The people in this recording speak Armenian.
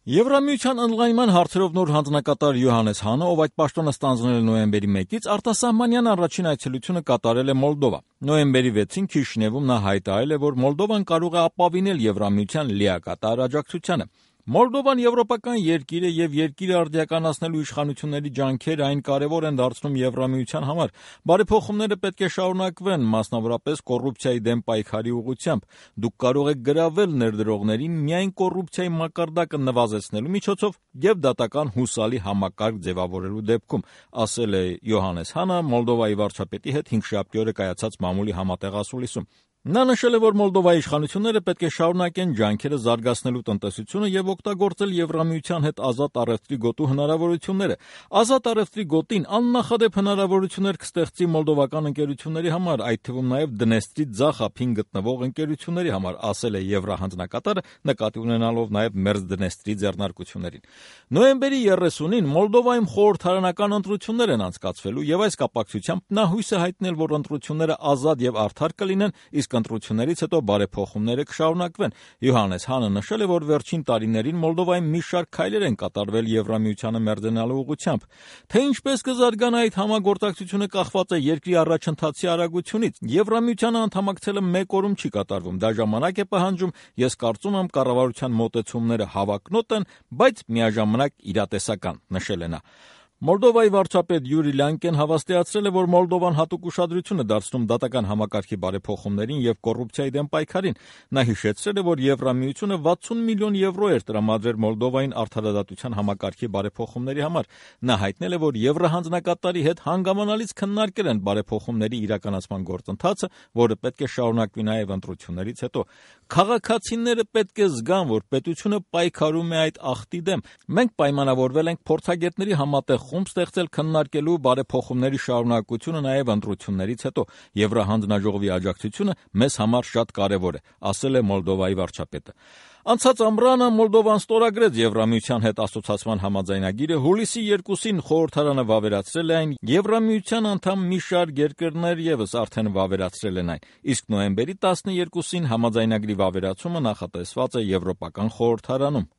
Եվրամիության ընդլայնման հարցերով նոր հանձնակատար Յոհաննես Հանը, ով այդ պաշտոնը ստանձնել է նոյեմբերի 1-ից, արտասահմանյան առաջին այցելությունը կատարել է Մոլդովա։ Նոյեմբերի 6-ին Քիշինևում նա հայտարարել է, որ Մոլդովան կարող է ապավինել Եվրամիության լիակատար աջակցությանը։ Մոլդովան եվրոպական երկիր է եւ երկիրը արդիականացնելու իշխանությունների ջանքերը այն կարեւոր են դարձնում Եվրամիության համար։ Բարեփոխումները պետք է շարունակվեն, մասնավորապես կոռուպցիայի դեմ պայքարի ուղղությամբ։ Դուք կարող եք գրավել ներդրողներին միայն կոռուպցիայի մակարդակը նվազեցնելու միջոցով եւ դատական հուսալի համակարգ ձևավորելու դեպքում, ասել է Յոհաննես Հանը Մոլդովայի վարչապետի հետ 5-շաբթի օրը կայացած մամուլի համատեղ ասուլիսում։ Նա նշել է, որ Մոլդովայի իշխանությունները պետք է շարունակեն ջանքերը զարգացնելու տնտեսությունը եւ օգտագործել Եվրամիության հետ ազատ առևտրի գոտու հնարավորությունները։ Ազատ առևտրի գոտին աննախադեպ հնարավորություններ կստեղծի մոլդովական ընկերությունների համար, այդ թվում նաեւ Դնեստրի ձախ ափին գտնվող ընկերությունների համար, ասել է Եվրահանձնակատարը, նկատի ունենալով նաեւ Մերձդնեստրի ձեռնարկություններին։ Նոյեմբերի 30-ին Մոլդովայում խորհրդարանական ընտրություններ են անցկացվելու եւ այս կապակցությամբ նա հույս է հայտնել, որ ընտրությունները ազատ եւ արդար կլինեն, իսկ ընտրություններից հետո բարեփոխումները կշարունակվեն։ Յոհաննես Հանը նշել է, որ վերջին տարիներին Մոլդովայում մի շարք քայլեր են կատարվել Եվրամիությանը մերձենալու ուղղությամբ։ Թե ինչպես կզարգանա այդ համագործակցությունը կախված է երկրի առաջընթացի արագությունից։ Եվրամիությանը անդամակցելը մեկ օրում չի կատարվում։ Դա ժամանակ է պահանջում, ես կարծում եմ կառավարության մոտեցումները հավակնոտ են, բայց միաժամանակ իրատեսական, նշել է նա։ Մոլդովայի վարչապետ Յուրի Լանկեն հավաստիացրել է, որ Մոլդովան հատուկ ուշադրություն է դարձնում դատական համակարգի բարեփոխումներին եւ կոռուպցիայի դեմ պայքարին։ Նա հիշեցրել է, որ Եվրամիությունը 60 միլիոն եվրո էր տրամադրել Մոլդովային արդարադատության համակարգի բարեփոխումների համար։ Նա հայտնել է, որ Եվրահանձնակատարի հետ հանգամանալից քննարկել են բարեփոխումների իրականացման գործընթացը, որը պետք է շարունակվի նաեւ ընտրություններից հետո։ Քաղաքացիները պետք է զգան, որ պետությունը պայքարում է այդ ախտի դեմ։ Մենք պայմանավորվել ենք փորձագետների համատեղ խումբ ստեղծել քննարկելու բարեփոխումների շարունակությունը նաև ընտրություններից հետո։ Եվրահանձնաժողովի աջակցությունը մեզ համար շատ կարևոր է, ասել է Մոլդովայի վարչապետը։ Անցած ամռանը Մոլդովան ստորագրեց Եվրամիության հետ ասոցացման համաձայնագիրը, հուլիսի 2-ին խորհրդարանը վավերացրել է այն, Եվրամիության անդամ մի շարք երկրներ եւս արդեն վավերացրել են այն, իսկ նոյեմբերի 12-ին համաձայնագրի վավերացումը նախատեսված է Եվրոպական խորհրդարանում։